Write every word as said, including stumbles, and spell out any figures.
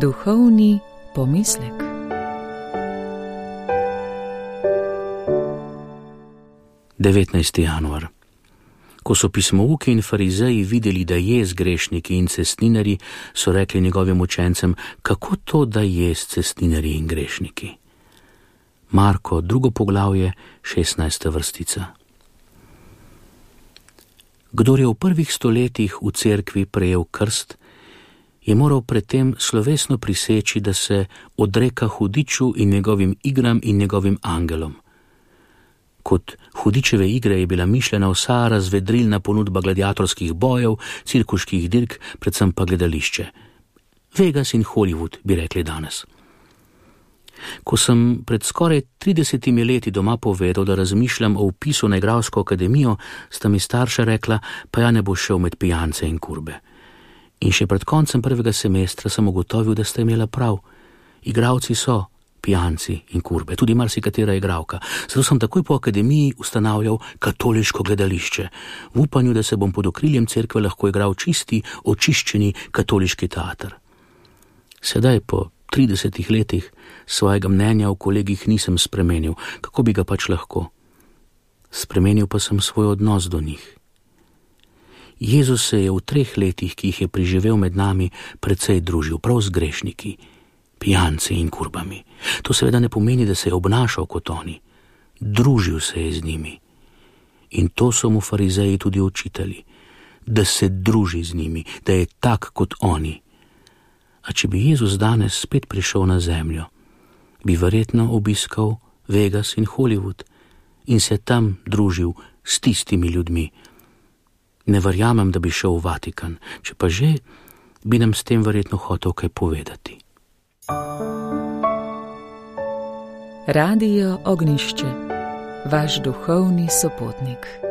Duhovni pomislek. devetnajsti januar. Ko so pismouki in farizeji videli, da je z grešniki in cestninarji, so rekli njegovim učencem, kako to, da je s cestninarji in grešniki. Marko, drugo poglavje, šestnajsta vrstica. Kdor je v prvih stoletjih v cerkvi prejel krst, je moral predtem slovesno priseči, da se odreka hudiču in njegovim igram in njegovim angelom. Kot hudičeve igre je bila mišljena vsa razvedrilna ponudba gladiatorskih bojev, cirkuških dirk, predvsem pa gledališče. Vegas in Hollywood, bi rekli danes. Ko sem pred skoraj tridesetimi leti doma povedal, da razmišljam o vpisu na igralsko akademijo, sta mi starša rekla, pa ja ne bo šel med pijance in kurbe. In še pred koncem prvega semestra sem ugotovil, da sta imela prav. Igralci so pijanci in kurbe, tudi marsikatera igralka. Zato sem takoj po akademiji ustanavljal katoliško gledališče, v upanju, da se bom pod okriljem cerkve lahko igral čisti, očiščeni katoliški teater. Sedaj, po tridesetih letih, svojega mnenja o kolegih nisem spremenil, kako bi ga pač lahko. Spremenil pa sem svoj odnos do njih. Jezus se je v treh letih, ki jih je preživel med nami, precej družil prav z grešniki, pijanci in kurbami. To seveda ne pomeni, da se je obnašal kot oni. Družil se je z njimi. In to so mu farizeji tudi učitali, da se druži z njimi, da je tak kot oni. A če bi Jezus danes spet prišel na zemljo, bi verjetno obiskal Vegas in Hollywood in se tam družil s tistimi ljudmi. Ne verjamem, da bi šel v Vatikan, če pa že, bi nam s tem verjetno hotel kaj povedati. Radio Ognjišče, vaš duhovni sopotnik.